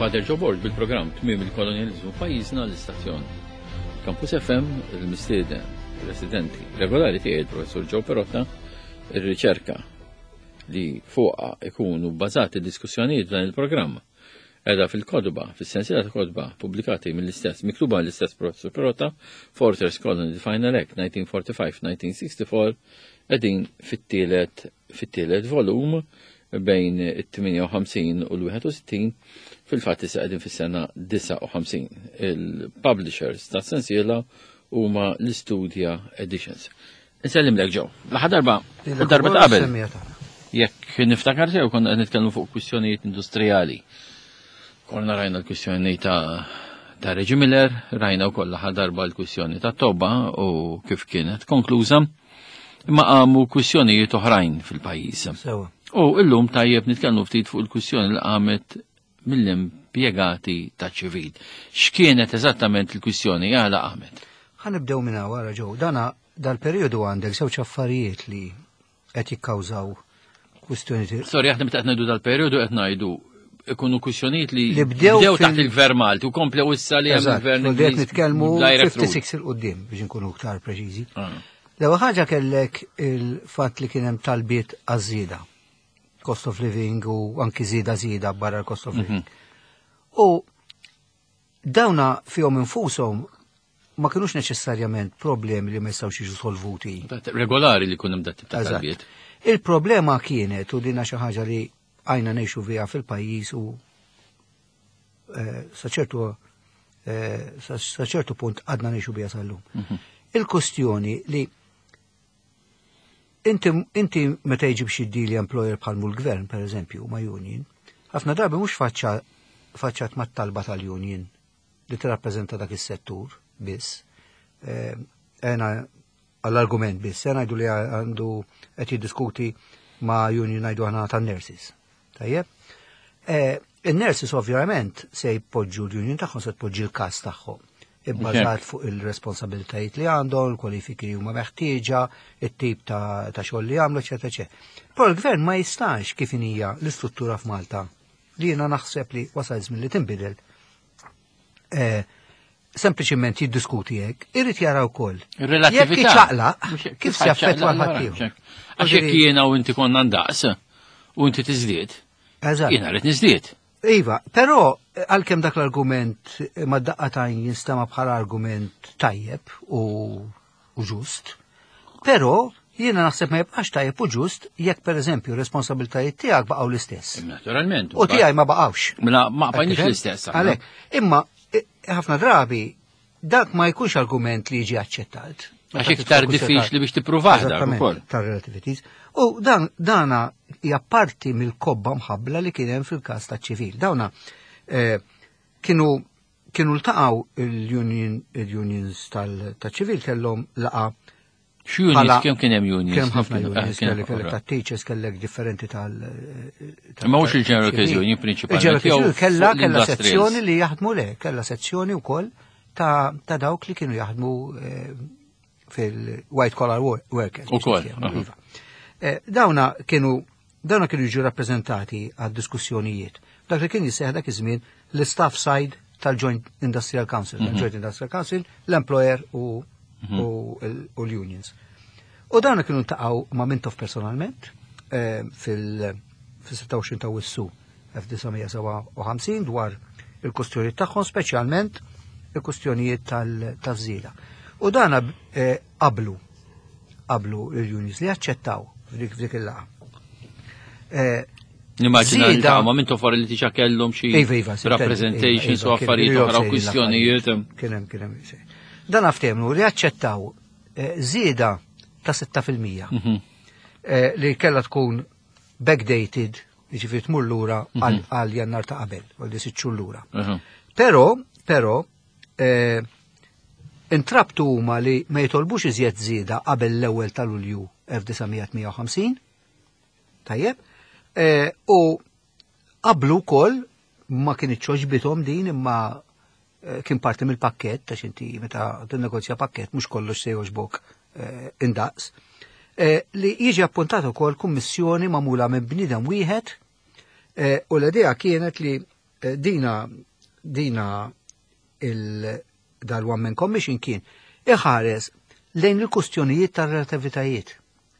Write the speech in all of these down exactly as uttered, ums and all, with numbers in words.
Father Joe Borg bil-programm Tmiem il-Kolonjaliżmu Pajjiżna l-istazzjon. Campus F M, il-mistieden residenti regolari tiegħi il-Professur Joe Perotta, ir-riċerka li fuqha ikunu bbażati diskussjonijiet f'dan il-programm edha fil-kotba, fis-sensiela ta' kotba pubblikati mill-istess, miktuba mill-istess Professur Perotta, Fortress Colony, The Final Act, nineteen forty-five nineteen sixty-four, qegħdin fit-tielet fit-tielet volum bejn it-tmienja u ħamsin u l-wieħed u sittin, fil-fatt issa qegħdin fis-sena disgħa u ħamsin. Il-publishers ta' sensiela huma l-Studia Editions. Insellimlek, Joe. L-aħħar darba, u darba ta' qabel, jekk niftakar sew, konna qed nitkellmu fuq kwistjonijiet industrijali. Konna rajna l-kwistjoni ta' ta' Reggie Miller, rajna wkoll l-aħħar darba l-kwistjoni ta' Toba u kif kienet konkluża, imma qamu kwistjonijiet oħrajn fil-pajjiż. Sewa. U illum tajjeb nitkellmu ftit fuq il-kwistjoni li qamet mill-impjegati ta' ċivil. X'kienet eżattament il-kwistjoni, għala qamet? Ħa nibdew minn wara, Joe. Dana dal-periodu għandek żewġ affarijiet li qed jikkawżaw kwistjoni. Sorry, aħna meta qed ngħidu dal-periodu qed ngħidu ikunu kwistjonijiet li Li bdew bdew fil- taħt il-Gvern Malti u komplew issa li hemm Eżatt, il-Gvern u qed Ingliż nitkellmu direct rule. ħamsa u ħamsin 'il quddiem biex nkunu iktar preċiżi. Ah. L-ewwel ħaġa kellek il-fatt li kien hemm talbiet għaż-żieda. Cost of living u anki żieda żieda barra l-cost of living. U dawna fihom infushom ma kienux neċessarjament problemi li ma jistgħux jiġu solvuti. Regolari li kun hemm dat tip ta' Eżatt. talbiet. Il-problema kienet, u dina xi ħaġa li għajna ngħixu fiha fil-pajjiż u eh, sa ċertu eh, sa sa ċertu punt għadna ngħixu biha sal-lum. Il-kustjoni li inti, inti meta jiġi biex jiddili employer bħal l-gvern, per eżempju, ma' union, ħafna drabi mhux faċċa faċċat mat-talba tal-union li tirrappreżenta dak is-settur biss. Eh, Ena għall-argument biss, ena ngħidu li għandu qed jiddiskuti ma' union, ngħidu aħna, tan-nurses. Tajjeb? Eh, Il-nurses ovvjament se jpoġġu l-union tagħhom, se tpoġġi l-każ tagħhom ibbażat fuq il-responsabilitajiet li għandhom, il-kwalifiki li huma meħtieġa, it-tip ta' ta' xogħol li għamlu, eċetera, eċetera. Però l-gvern ma jistax, kif hija l-istruttura f'Malta, li jiena naħseb li wasal żmien li tinbidel, eh, sempliċiment jiddiskuti hekk, irid jara wkoll. Ir-relatività. Jekk iċaqlaq, Mhux- kif se jaffettwa l-ħaddieħor. Għax jekk jiena u inti konna ndaqs u inti tiżdied, Eżatt. jiena rrid niżdied. Iva, però eh, għalkemm dak l-argument eh, ma daqqa tajn jinstema bħala argument tajjeb u, u ġust, però jiena naħseb ma jibqax tajjeb u ġust jekk, per eżempju, responsabiltajiet tiegħek baqgħu l-istess. Naturalment. U tiegħi ma baqgħux. Mela ma bqajniex Tifhem? l-istess aħna. Għalhekk, imma eh, ħafna drabi dak ma jkunx argument li jiġi aċċettat. Għax iktar diffiċli biex tippruvah dak Eżattament, ukoll. tar-relativities. U dan dana hija parti mill-kobba mħabbla li kien hemm fil-każ ta' ċivil. Dawna eh, kienu kienu ltaqgħu il-union il-unions tal-ċivil, kellhom laqa. X'unions, Bħala- kemm kien hemm unions? Kien hemm ħafna Ah, unions, kien kellek kellek hemm- ta' teachers, kellek differenti tal. tal- Imma mhux il-General tal- Workers Union prinċipalment, Il-General Workers jew Union kella fuq kella l-industrials. sezzjoni li jaħdmu, le, kella sezzjoni wkoll ta' ta' dawk li kienu jaħdmu eh, fil-white collar wor- workers. Biex Ukoll, nitkellmu, aha. iva. Eh, Dawna kienu dawna kienu jiġu rappreżentati għad diskussjonijiet. Dak li kien jisseħ dak iż-żmien l-staff side tal-Joint Industrial Council, Mhm. tal-Joint Industrial Council, l-employer u, u, l- u l-unions. U dawna kienu ltaqgħu ma' Mintoff personalment eh, fil- fil-sitta u għoxrin ta' Awwissu elf disa' mija sebgħa u ħamsin dwar il-kustjonijiet tagħhom, speċjalment il-kustjonijiet tal-żieda. U dana eh, qablu qablu il-unions li aċċettaw f'dik f'dik il-laqgħa. Eh, Nimmaġina li Żieda- ma minn for li tiġa kellhom xi Iva, iva, sintendi, representations iva, u iva, kien- affarijiet kien oħra u sejrin kwistjonijiet. l-affarijiet. Kien hemm, kien hemm. Dan ftehmu li aċċettaw eh, żieda ta' sitta fil-mija Mhm. eh, li kellha tkun backdated, jiġifieri tmur lura għal għal Jannar ta' qabel, għal di sitt xhur lura. Mhm. Però, però, eh, intrabtu huma li ma jitolbux iżjed żieda qabel l-ewwel ta' Lulju elf disa' mija tmienja u ħamsin, tajjeb, eh, u qablu wkoll, ma kienx għoġbithom din, imma eh, kien parti mill-pakket, ta' inti meta tinnegozja pakket mhux kollox se jogħġbok eh, indaqs, eh, li jiġi appuntat ukoll kummissjoni magħmula minn bniedem wieħed, eh, u l-idea kienet li eh, dina dina il dal-One Man Commission kien iħares lejn il-kustjonijiet tar-relativitajiet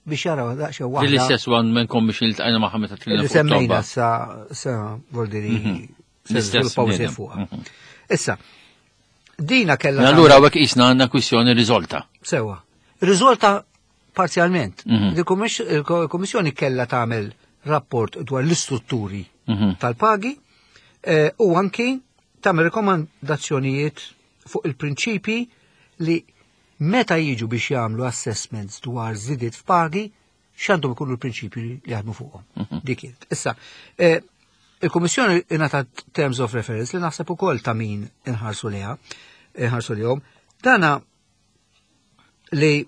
biex jaraw daqsxejn waħda. L-istess One Man Commission li ltqajna magħha meta tkellimna. Li semmejna sa sa voldiri mhm. l-istess fuqha. Mhm. Issa, dina kellha. Allura hawnhekk qisna għandna kwistjoni riżolta. Sewa. Riżolta parzjalment. Mhm. Il-Kummissjoni kellha tagħmel rapport dwar l-istrutturi tal-pagi eh, u anki tagħmel rekomandazzjonijiet fuq il-prinċipi li meta jiġu biex jagħmlu assessments dwar żidiet f'pagi, x'għandhom ikunu l-prinċipji li jaħdmu fuqhom. Mhm. Dik kienet. Issa, eh, il-Kummissjoni ingħatat terms of reference li naħseb ukoll ta' min inħarsu liha, inħarsu lihom. Dana li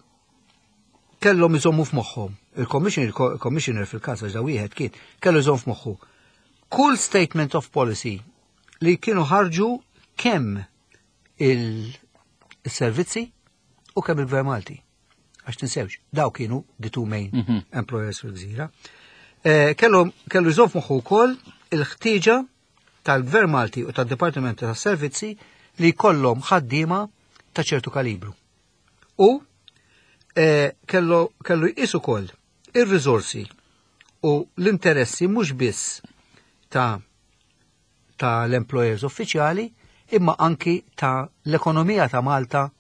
kellhom iżommu f'moħħhom. Il-Commissioner, il-Commissioner fil-każ għax da wieħed kien, kellu iżomm f'moħħu. Kull statement of policy li kienu ħarġu kemm il-servizzi u kemm il-Gvern Malti. Għax tinsewx, daw kienu the two main mm -hmm. employers fil-gżira. Eh, kellu kellu jżomm f'moħħu wkoll il-ħtieġa tal-Gvern Malti u tad-Dipartiment tas-Servizzi li jkollhom ħaddiema ta' ċertu kalibru. U eh, kellu kellu jqis ukoll ir-riżorsi u l-interessi mhux biss ta' ta' l-employers uffiċjali imma anki ta' l-ekonomija ta' Malta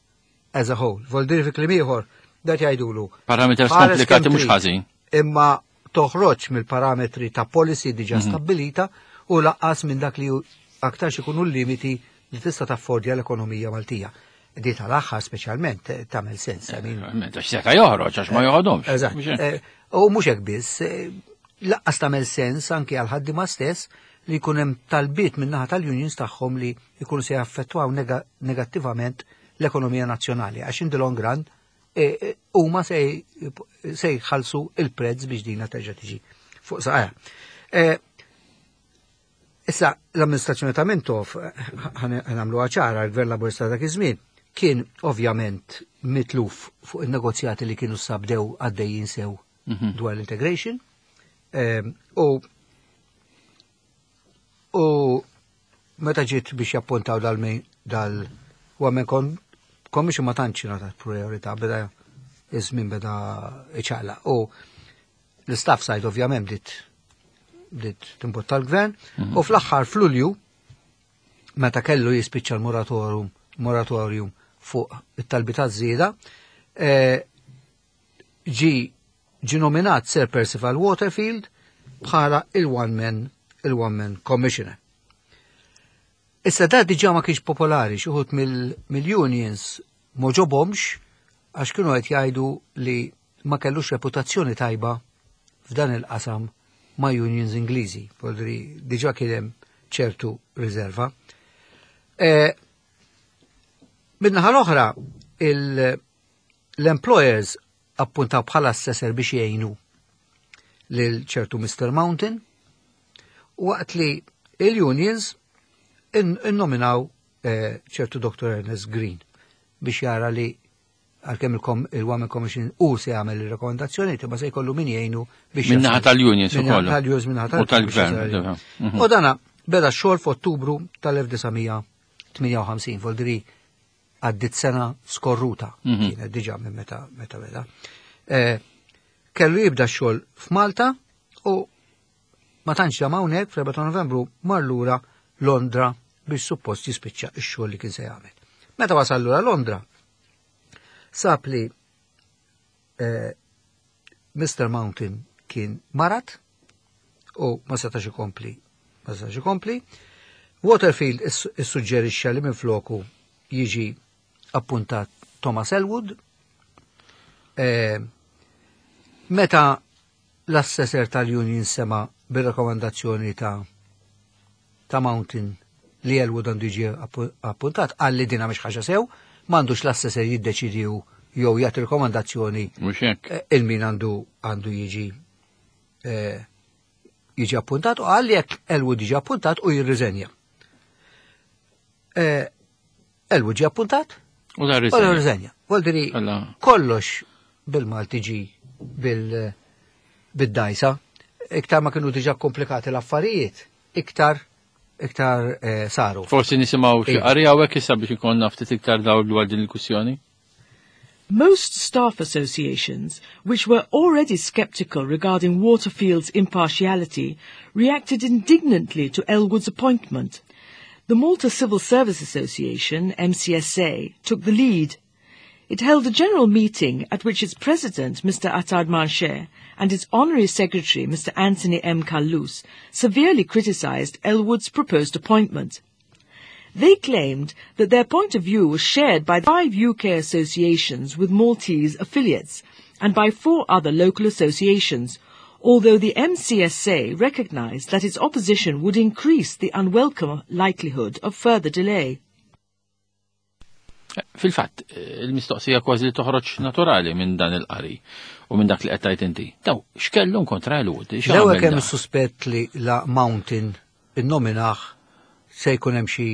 as a whole. Voldiri fi kliem ieħor, dat jgħidulu. Parameters komplikati mhux ħażin. Imma toħroġ mill-parametri ta' policy diġa mhm. stabilita u lanqas minn dak li aktar ikunu l-limiti li tista' taffordja l-ekonomija Maltija. Di tal-aħħar speċjalment eh, tagħmel sens. I mean, Għax seta' joħroġ għax ma joħodhomx. Eżatt. Eh, u mhux hekk biss, eh, lanqas tagħmel sens anki għal ħaddiema stess li jkun hemm talbiet min-naħa tal-unions tagħhom li jkunu se jaffettwaw negattivament l-ekonomija nazzjonali għax in the long run huma se jħallsu il-prezz biex dina terġa' tiġi fuq saqajha. Issa l-amministrazzjoni ta' Mintoff ħa nagħmlu ċara l-Gvern Laburista dak iż-żmien kien ovvjament mitluf fuq il-negozjati li kienu sabdew għaddejjin sew mhm. dwar l-integration. U u meta ġiet biex jappuntaw dal dal u kon commission ma tantx ngħatat priorità beda iż-żmien beda iċaqla. U l-staff side ovvjament bdiet bdiet timbotta l-gvern mhm. u fl-aħħar f'Lulju meta kellu jispiċċa l-moratorium moratorium fuq it-talbi ta' żieda, eh, ġi ġi nominat Sir Percival Waterfield bħala il-one man il-one man commissioner. Issa da diġà ma kienx popolari, xi wħud mill-unions m'għoġobhomx għax kienu qed jgħidu li ma kellux reputazzjoni tajba f'dan il-qasam ma' unions Ingliżi, voldiri diġà kien hemm ċertu riserva. E, Min-naħa l-oħra, l-employers appuntaw bħala assessor biex jgħinu lil ċertu Mr. Mountain, waqt li il-unions innominaw eh, ċertu Dr. Ernest Green biex jara li għalkemm il-One Man Commission u se jagħmel il-rekomendazzjoni ma se jkollu min jgħinu biex. Minnaħa tal-unions ukoll. Tal-unions minnaħa tal-gvern. Mhm. U dana beda xogħol f'Ottubru tal-elf disa' mija tmienja u ħamsin, voldiri għaddit sena skorruta, mhm. kienet diġà minn meta meta beda. Eh, kellu jibda xogħol f'Malta u ma tantx dam hawnhekk fl-erbgħa ta' Novembru mar lura Londra biex suppost jispiċċa x-xogħol li kien se jagħmel. Meta wasal lura Londra, sab li eh, Mr. Mountain kien marad u ma setax ikompli, ma setax ikompli. Waterfield issuġġerixxa li minn floku jiġi appuntat Thomas Elwood. Eh, meta l-assessor tal-union sema bir-rekomendazzjoni ta' ta' Mountain li Elwood għandu jiġi appuntat, għalli dina mhix ħaġa sew, m'għandux l-assessor jiddeċidi jew jagħti rekomendazzjoni eh, il-min għandu għandu jiġi eh, jiġi appuntat u għalli jekk Elwood jiġi appuntat u jirriżenja. Eh, Elwood ġi appuntat u da riżenja. Voldiri kollox bil-Malti ġi bil- bid-dajsa, iktar ma kienu diġa komplikati l-affarijiet, iktar iktar eh, saru. Forsi nisimgħu xi Iva. qari hawnhekk issa biex ikollna ftit iktar dawl dwar din il-kwistjoni. Most staff associations, which were already sceptical regarding Waterfield's impartiality, reacted indignantly to Elwood's appointment. The Malta Civil Service Association, M C S A, took the lead. It held a general meeting at which its president, Mister Attard Manché, and its honorary secretary, Mister Anthony M. Callus, severely criticized Elwood's proposed appointment. They claimed that their point of view was shared by five U K associations with Maltese affiliates and by four other local associations, although the M C S A recognized that its opposition would increase the unwelcome likelihood of further delay. Fil-fatt, il-mistoqsija kważi li toħroġ naturali minn dan il-qari u minn dak li qed tgħid inti. Daw, x'kellhom kontra Elwood? L-ewwel kemm suspett li la Mountain innominah se jkun hemm xi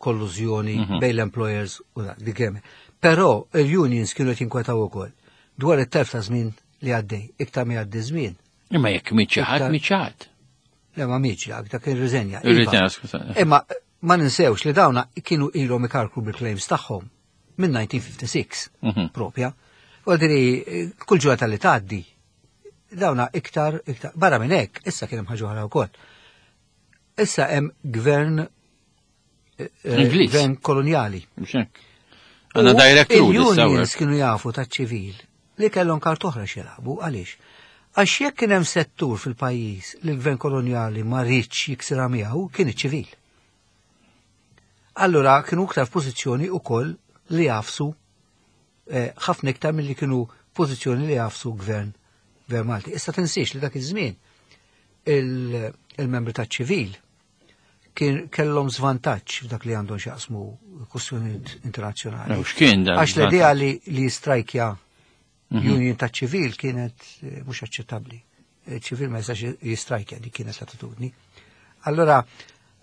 kollużjoni mhm. bejn l-employers u dak dik hemm. Però il-unions kienu qed jinkwetaw ukoll dwar it-telf ta' żmien li għaddej, iktar ma jgħaddi żmien. Imma jekk miet xi ħadd, miet xi ħadd. Le, ma mietx dak, dak irriżenja. Irriżenja, skuża. Imma ma ninsewx li dawna kienu ilhom ikarkru bil-claims tagħhom minn elf disa' mija u ħamsa u sittin Mhm. propja. U diri, kull ġurnata li tgħaddi, dawna iktar, iktar, barra minn hekk, issa kien hemm ħaġa oħra wkoll. Issa hemm gvern eh, Ingliż. Gvern koloniali. Mhux hekk. Għandna direct rule issa. Il-unions kienu jafu ta' ċivil li kellhom kart oħra x'jilagħbu, għaliex? Għax jekk kien hemm settur fil-pajjiż li l-gvern koloniali ma riedx jiksirha miegħu, kien iċ-ċivil. Allura kienu iktar f'pożizzjoni wkoll li jagħfsu eh, ħafna iktar milli kienu pożizzjoni li jagħfsu gvern gvern Malti. Issa tinsiex li dak iż-żmien il- il-membri taċ-ċivil kien kellhom żvantaġġ f'dak li għandhom x'jaqsmu kwistjonijiet internazzjonali. U x'kien dan? Għax l-idea li li jistrajkja Mhm. union ta' ċivil kienet eh, mhux aċċettabbli. Eh, ċivil ma jistax jistrajkja, dik kienet l-attitudni. Allora,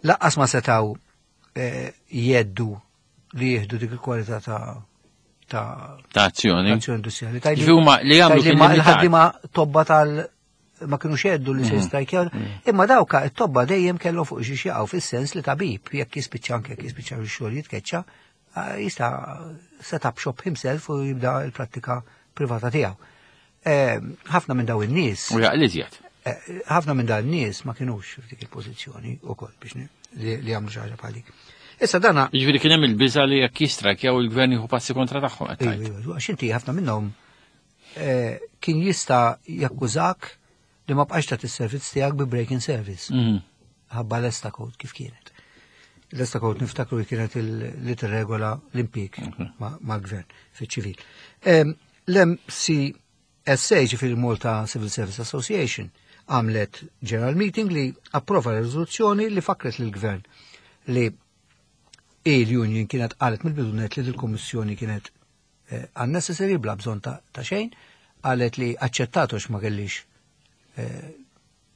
lanqas ma setaw eh, jeddu li jieħdu dik il-kwalità ta' ta' Ta' azzjoni. azzjoni industrijali. Tgħidli- Ġifieri huma li jagħmlu tgħidli kien ma limitat. il-ħaddiema tobba tal ma kienu xeddu li se Mhm. jistrajkjaw, imma dawka it-tobba dejjem kellhom fuq xi jaqgħu, fis-sens li tabib jekk jispiċċa, anke jekk jispiċċa x-xogħol jitkeċċa, ah, jista' set up shop himself u jibda l-prattika privata tiegħu. Eh, Ħafna minn daw in-nies U jaqli iżjed. eh, ħafna minn dawn in-nies ma kinux f'dik il-pożizzjoni wkoll biex ni- li li jagħmlu xi ħaġa bħal dik. Issa dana Ġifieri kien hemm il-biża li jekk jistrajkjaw il-gvern jieħu passi kontra tagħhom qed Ejju, tgħid. ejju, għax inti ħafna minnhom eh, kien jista' jakkużak li ma bqax tagħti s-servizz tiegħek bi break in service. Mhm. Ħabba l-ESTA Code kif kienet. L-ESTA Code niftakru li kienet il- li tirregola l-impjieg ma- mal-gvern fiċ-ċivil. Em, L-M C S A, ġifieri Malta Civil Service Association, għamlet general meeting li approva rezoluzzjoni li fakret lill-gvern li il-union kienet qalet mill-bidunet li l-kommissjoni kienet eh, unnecessary, bla bżonn ta' ta' xejn, qalet li aċċettatu ma kellix eh,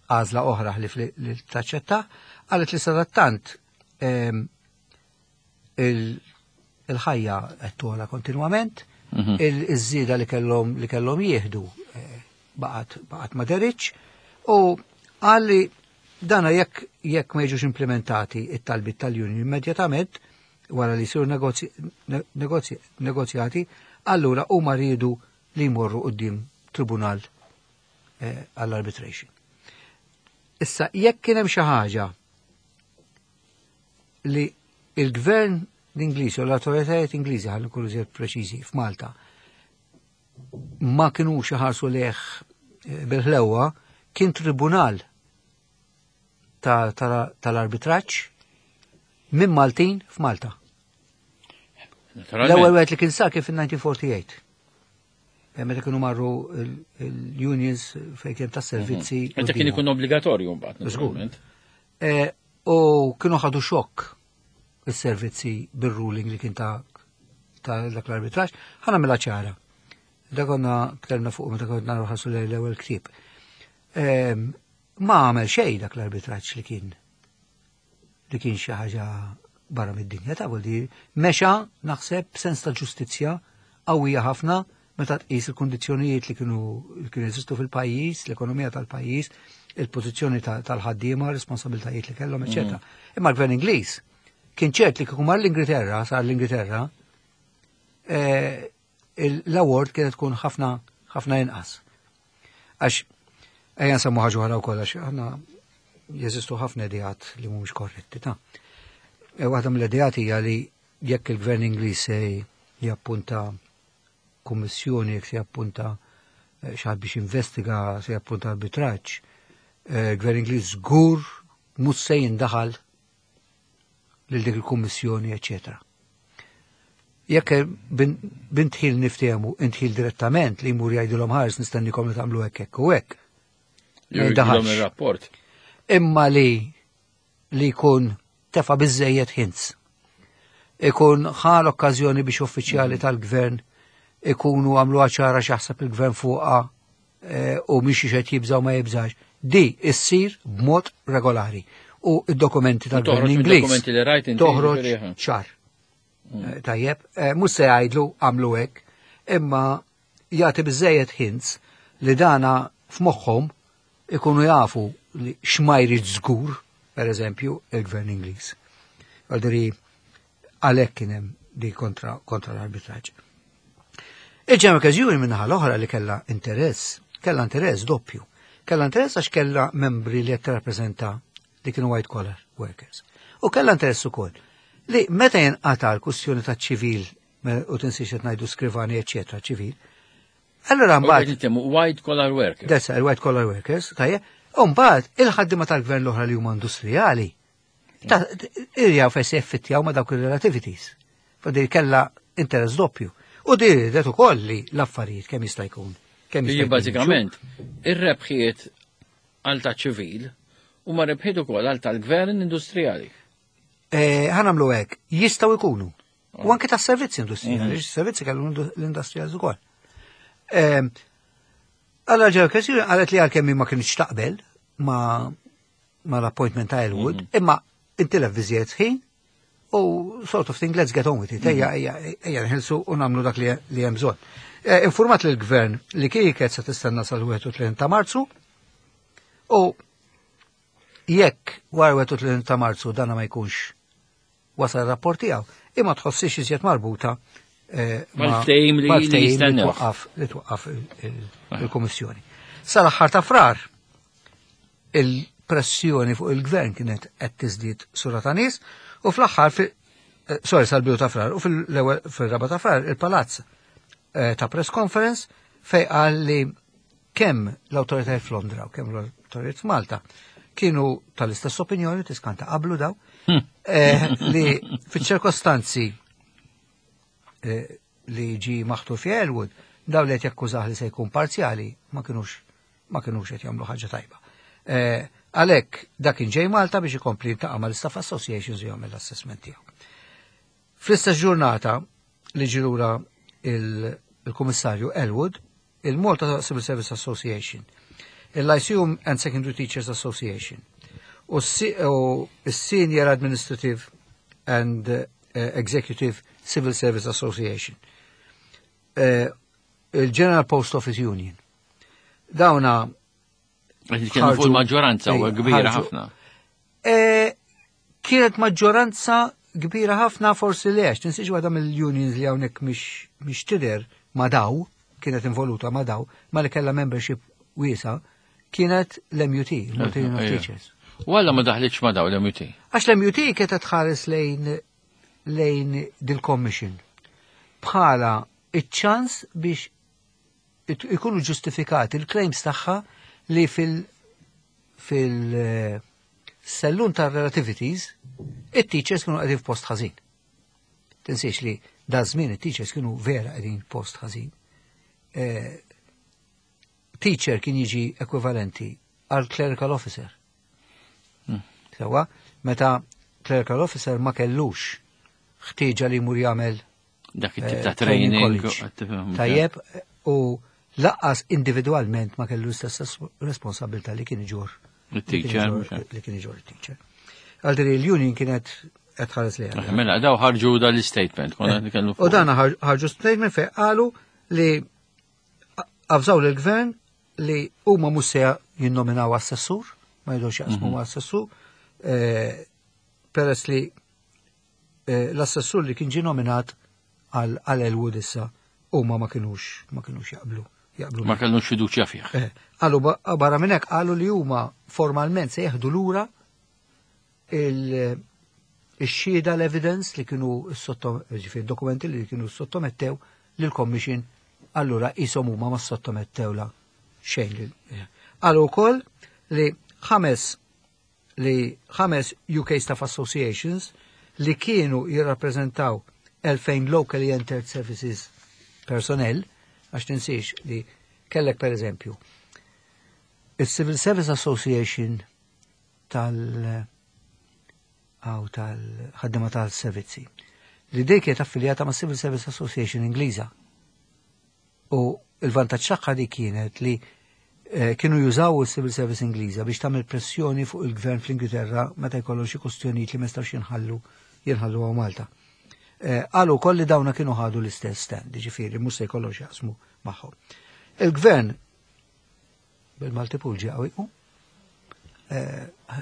għażla oħra li li taċċetta, qalet li sadattant ehm, il- il-ħajja qed togħla kontinwament, Mhm. il-żieda li kellhom li kellhom jieħdu eh, baqgħet baqgħet ma deritx u qal li dana jekk jekk ma jiġux implementati it-talbit tal-union immedjatament wara li jsiru negozji, negozji, negozjati, allura huma riedu li jmorru quddiem tribunal eh, għall-arbitration. Issa, jekk kien hemm xi ħaġa li il-gvern l-Ingliż u l-autoritajiet Ingliżi, ħalli nkunu żjed preċiżi, f'Malta ma kinux iħarsu lejh eh, bil-ħlewa, kien tribunal ta- ta- tal-arbitraġġ minn Maltin f'Malta. Naturalment. L-ewwel wieħed li kien sar kien fil-elf disa' mija u erbgħa u tletin. Eh, Meta kienu marru il- il-unions fejn kien tas-servizzi. Meta kien ikun obbligatorju mbagħad, Żgur. naturalment. Eh, U kienu ħadu xokk is-servizzi bir-ruling li kien ta' ta' dak l-arbitraġġ. Ħa nagħmilha ċara. Da konna tkellimna fuq meta konna nħarsu lejn l-ewwel ktieb. Ehm, Ma għamel xejn dak l-arbitraġġ li kien li kien xi ħaġa barra mid-dinja ta' vuol dire mexa naħseb sens ta' ġustizzja qawwija ħafna Meta tqis il-kondizzjonijiet li kienu li kienu jeżistu fil-pajjiż, l-ekonomija tal-pajjiż, il-pożizzjoni tal-ħaddiema, responsabiltajiet li kellhom, eċetera. Mm. Imma l-gvern Ingliż kien ċert li kieku mar l-Ingilterra, sar l-Ingilterra, eh, l-award kienet tkun ħafna ħafna inqas. Għax ejja nsemmu ħaġa oħra wkoll għax aħna jeżistu ħafna ideat li mhumiex korretti ta'. E, waħda mill-ideat hija li jekk il-gvern Ingliż se jappunta kummissjoni, jekk se jappunta eh, xi ħadd biex investiga, se jappunta arbitraġġ, eh, il-gvern Ingliż żgur mhux se jindaħal lil dik il-kummissjoni, eċetera. Jekk b'indħil niftehmu, indħil direttament li jmur jgħidilhom ħares nistennikom li tagħmlu hekk hekk u hekk. Il-rapport. Imma li li jkun tefa' biżejjed hints. Ikun ħa l-okkażjoni biex uffiċjali mm. tal-gvern ikunu għamlu ċara x'jaħseb il-gvern fuqha eh, u mhix qed jibżaw ma jibżax. Di issir b'mod regolari. U id-dokumenti tal-gvern Ingliż toħroġ ċar. Mm. Eh, tajjeb, eh, mhux se jgħidlu għamlu hekk, imma jagħti biżejjed hints li dana f'moħħhom ikunu jafu li x'ma jrid żgur, per eżempju, il-gvern Ingliż. Għaldiri, għalhekk kien hemm di kontra, kontra l-arbitraġġ. Il-General Union minnaħa l-oħra li kella interess, kella interess doppju. Kella interess għax kella membri li qed rappreżenta li kienu white collar workers. U kella interess ukoll li meta jinqata l-kwistjoni ta' ċivil u tinsiex qed ngħidu skrivani eċetera ċivil, allora mbagħad white collar workers. That's white collar workers, tajjeb. U mbagħad il-ħaddiema tal-gvern l-oħra li huma industrijali irjaw fejn se jeffittjaw ma' dawk il-relativities. Fadil kella interess doppju. U di ridet ukoll li l-affarijiet kemm jista' jkun. Kemm jista' Bażikament, ir-rebħiet għal ta' ċivil u ma rebħiet ukoll għal tal-gvern industrijali. Eh, ħa nagħmlu hekk, jistgħu jkunu. U anke tas servizzi industrijali, mhm. servizzi kellu l-industrijali ukoll. Allora ġew kwestjoni qalet li għalkemm ma kienx taqbel ma ma l-appointment ta' Elwood, mhm. imma intilef biżżejjed ħin u sort of thing, let's get on with it. Ejja, ejja, ejja nħelsu u nagħmlu dak li hemm bżonn. Eh, informat lill-gvern li kienet se tistenna sal-wieħed u tletin ta' Marzu u jekk wara wieħed u tletin ta' Marzu dana ma jkunx wasal rapport tiegħu, imma tħossix iżjed marbuta eh, mal-ftehim li twaqqaf li twaqqaf il-Kummissjoni. Sal-aħħar ta' Frar il-pressjoni fuq il-gvern kienet qed tiżdied sura ta' nies u fl-aħħar eh, sorry, sal-bidu ta' Frar u fil-ewwel fil-raba ta' Frar il-palazz eh, ta press conference fej qal li kemm l-awtoritajiet f'Londra u kemm l-awtoritajiet f'Malta kienu tal-istess opinjoni, tiskanta qablu daw, hmm. eh, li fiċ-ċirkostanzi li ġi maħtur fi Elwood, daw li qed jakkużah li se jkun parzjali ma kienux ma kienux qed jagħmlu ħaġa tajba. Għalhekk dak kien ġej Malta biex ikompli jiltaqa' mal-Staff Associations u jagħmel l-assessment tiegħu. Fl-istess ġurnata li ġie lura il-Kummissarju Elwood, il-Malta Civil Service Association, il-Lyceum and Secondary Teachers Association, u s-Senior Administrative and eh, Executive Civil Service Association, eh, il-General Post Office Union. Dawna Kienu fuq il-maġġoranza u kbira ħafna. E, kienet maġġoranza kbira ħafna forsi li għax, tinsiex waħda mill-unions li hawnhekk mhix tidher ma daw, kienet involuta ma daw, ma li kellha membership wiesa, kienet l-M U T, il-Malta Union of Teachers. U għalla ma daħlitx ma daw l-M U T? Għax l-M U T kienet tħares lejn lejn dil-commission bħala iċ-ċans biex ikunu ġustifikati il-claims tagħha li fil fil sellun ta' relativities it-teachers kienu qegħdin f'post ħażin. Tinsiex li da żmien it-teachers kienu vera qegħdin post ħażin. Eh, teacher kien jiġi ekwivalenti għal clerical officer. Hmm. Sewa, meta clerical officer ma kellux ħtieġa li jmur jagħmel dak it-tip ta' eh, training. Tajjeb, u lanqas individualment ma kellu l-istess responsabilità li kien iġorr. Il-teacher. Li kien iġorr il-teacher. Għaldiri l-union kienet qed tħares li Mela, daw ħarġu dal-statement. Eh, u dan ħarġu statement fej qalu li Avżaw lill-gvern li huma mhux se jinnominaw assessur, ma jridux jaqsmu ma' assessur, eh, peress li eh, l-assessur li kien ġie nominat għal għal Elwood issa huma ma kinux ma kinux jaqblu jaqblu Ma kellux fiduċja fih. Eh, Qalu ba- barra minn hekk qalu li huma formalment se jeħdu lura il- ix-xhieda l-evidence li kienu sotto ġifieri dokumenti li kienu sottomettew lill-Commission allura qishom huma ma sottomettewla xejn. lil- eh. Qalu wkoll li ħames li ħames U K Staff Associations li kienu jirrappreżentaw elfejn locally entered services personnel, għax tinsiex li kellek per eżempju il-Civil Service Association tal għaw tal-ħaddima tal-servizzi li dik kienet affiljata ma' Civil Service Association Ingliża. U il-vantaġġ tagħha di kienet li eh, kienu jużaw il-Civil Service Ingliża biex tagħmel pressjoni fuq il-gvern fl-Ingilterra meta jkollhom xi kwistjonijiet li ma jistgħux jinħallu jinħallu hawn Malta. Eh, Qalu wkoll li dawna kienu ħadu l-istess stand, ġifieri mhux se jkollhom x'jaqsmu magħhom. Il-gvern bil-Malti ġie qawwi.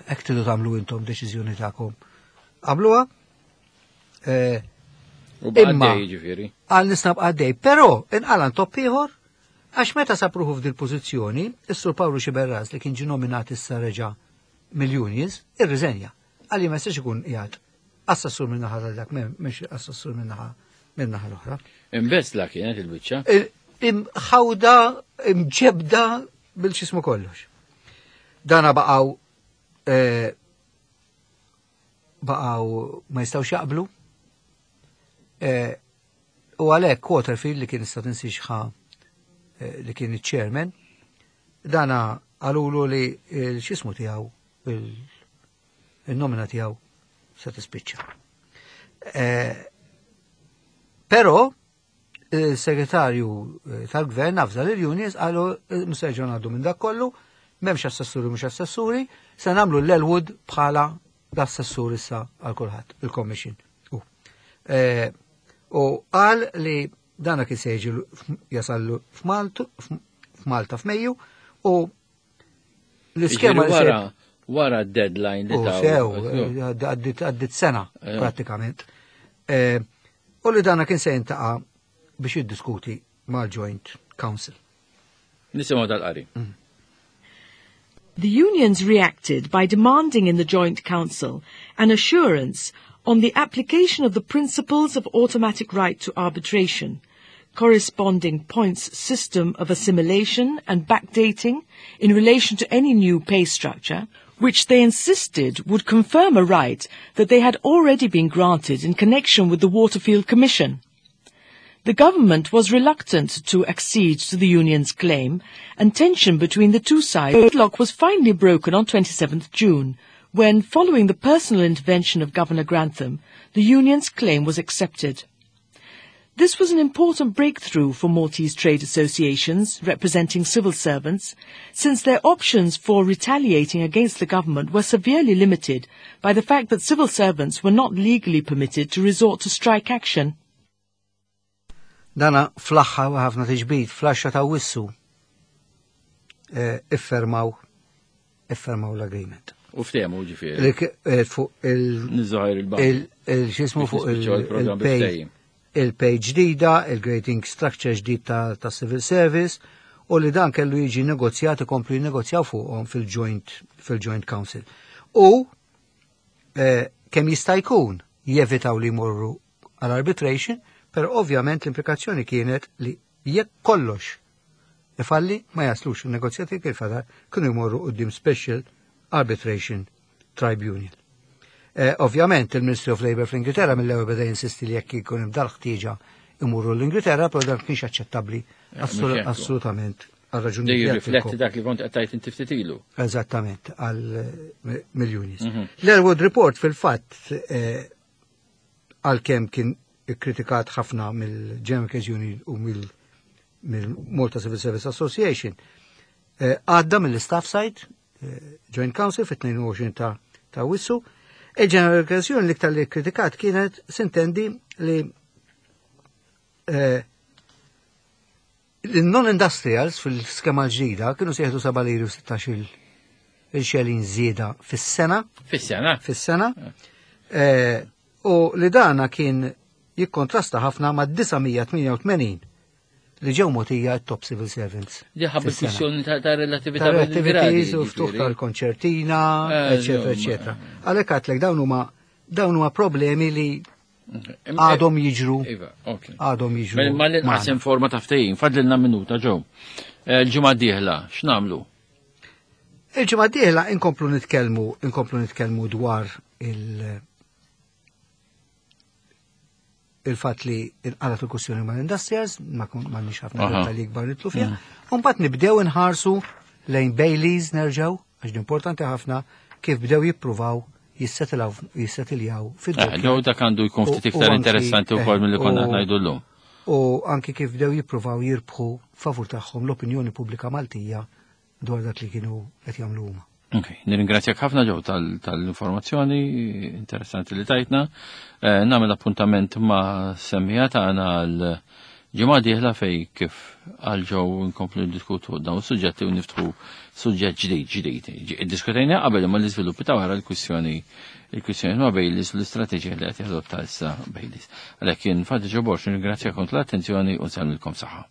Hekk tridu tagħmlu intom deċiżjoni tagħkom. Għamluha, eh, U Imma- għaddej ġifieri. Għal nisnab għaddej, però inqalan topp ieħor għax meta sapruħu f'dil pożizzjoni, is-Sur Pawlu Xiberras li kien ġie nominat issa reġa' mill-unions, irriżenja. Għalli ma jistax ikun qiegħed assessur minn naħa dak, mhux assessur minn naħa minn naħa l-oħra. Imbesla kienet il-biċċa. Il- Imħawda, imġebda bil-xismu kollox. Dana baqaw eh, baqaw ma jistawx jaqblu. Eh, U għalhekk Quaterfield li kien issa tinsiex ħa eh, li kien il-chairman, dana qalulu li il-xismu tiegħu il- il-nomina tiegħu se tispiċċa. Eh, Però il-segretarju eh, tal-gvern avża l-unions qalu mserġu għaddu minn dak kollu, m'hemmx assessuri mhux assessuri, se nagħmlu l-Elwood bħala l-assessur issa għal kulħadd, il-commission. U Eh, u qal li dana kien se jiġi jasallu f'Maltu- f'Malta f'Mejju u l-iskema Ġifieri li se wara wara d-deadline li U taw. sew, għaddit għaddit sena Eh. pratikament. Eh, U li dana kien se jintaqa biex jiddiskuti mal-Joint Council. Nisimgħu dal-qari. The unions reacted by demanding in the Joint Council an assurance on the application of the principles of automatic right to arbitration, corresponding points system of assimilation and backdating in relation to any new pay structure, which they insisted would confirm a right that they had already been granted in connection with the Waterfield Commission. The government was reluctant to accede to the union's claim, and tension between the two sides deadlock was finally broken on twenty-seventh June, when, following the personal intervention of Governor Grantham, the union's claim was accepted. This was an important breakthrough for Maltese trade associations representing civil servants, since their options for retaliating against the government were severely limited by the fact that civil servants were not legally permitted to resort to strike action. Dana fl-aħħar ħafna tiġbid, fl-għaxra ta' Awwissu eh, iffermaw iffermaw l-agreement. U ftehmu ġifieri. Li k- eh, fuq il- Niżżoħir il-bank. il- il- xismu Biex fuq nispiċċaw il-programm il-pay bil-ftehim. Il-pay ġdida, il-grading structure ġdid ta', ta' civil service u li dan kellu jiġi negozjat ikomplu jinnegozjaw fuqhom fil-Joint fil-Joint Council. U eh, kemm jista' jkun jevitaw li jmorru għal-arbitration, però ovvjament l-implikazzjoni kienet li jekk kollox ifalli ma jaslux il-negozjati kif fadal kienu jmorru quddiem Special Arbitration Tribunal. Eh, ovvjament il-Ministry of Labour fl-Ingilterra mill-ewwel beda jinsisti li jekk jkun hemm dal-ħtieġa imurru l-Ingilterra, però dan kienx aċċettabbli Eh, assolut- mhux hekk. assolutament għal raġuni Dej jirrifletti dak li kont qed tgħid inti ftit ilu. Eżattament, għal eh, mill-unions. Mhm. L-Elwood Report fil-fatt eh, għal kem kien kritikat ħafna mill-General Workers Union u mill- mill-Malta Civil Service Association, eh, għadda mill-staff side, eh, Joint Council fit-tnejn u għoxrin ta' ta' Awwissu. Il-General Workers Union l-iktar li kritikat kienet sintendi li eh, Il-non-industrials fil-skema ġdida kienu se jieħdu seba' liri u sittax il xelin żieda fis-sena. Fis-sena? Fis-sena. Eh, u li dana kien jikkontrasta ħafna ma' disa' mija tmienja u tmenin li ġew mogħtija top civil servants. Diħab il-kwistjoni ta' relatività. Ta' relativities u ftuħ tal-konċertina, eccetera, eccetera. Għalhekk għedtlek dawn huma dawn huma problemi li għadhom jiġru. Iva, ok. Għadhom jiġru. Mela, ma l-inqas forma ta' ftehim, fadlilna minuta, Joe. Il-ġimgħa d-dieħla, x'nagħmlu? Il-ġimgħa d-dieħla inkomplu nitkellmu, inkomplu nitkellmu dwar il- il-fat li inqalat il-kwistjoni ma' l-industrials, ma nix ħafna dettalji ikbar nidħlu fiha. Mbagħad nibdew inħarsu lejn Baileys nerġgħu, għax importanti ħafna kif bdew jippruvaw jissettiljaw fid Ġew dak għandu jkun ftit iktar interessanti wkoll milli konna ngħidu llum. U anki kif bdew jippruvaw jirbħu favur tagħhom l-opinjoni pubblika Maltija dwar dak li kienu qed jagħmlu huma. Ok, nirringrazzjak ħafna, Joe, tal-informazzjoni interessanti li tajtna. Eh, nagħmel appuntament ma' semmiegħa tagħna għal ġimgħa dieħla fej kif għal Joe nkomplu diskutu dawn suġġetti u niftħu suġġett ġdid ġdid. Diskutejna qabel ma l-iżviluppi ta' wara l-kwistjoni il-kwistjoni ma' Baileys u l-istrateġija li qed jadotta issa Baileys. Għalhekk jien Fadi Joe Borg nirringrazzjakom tal-attenzjoni u nsellmilkom saħħa.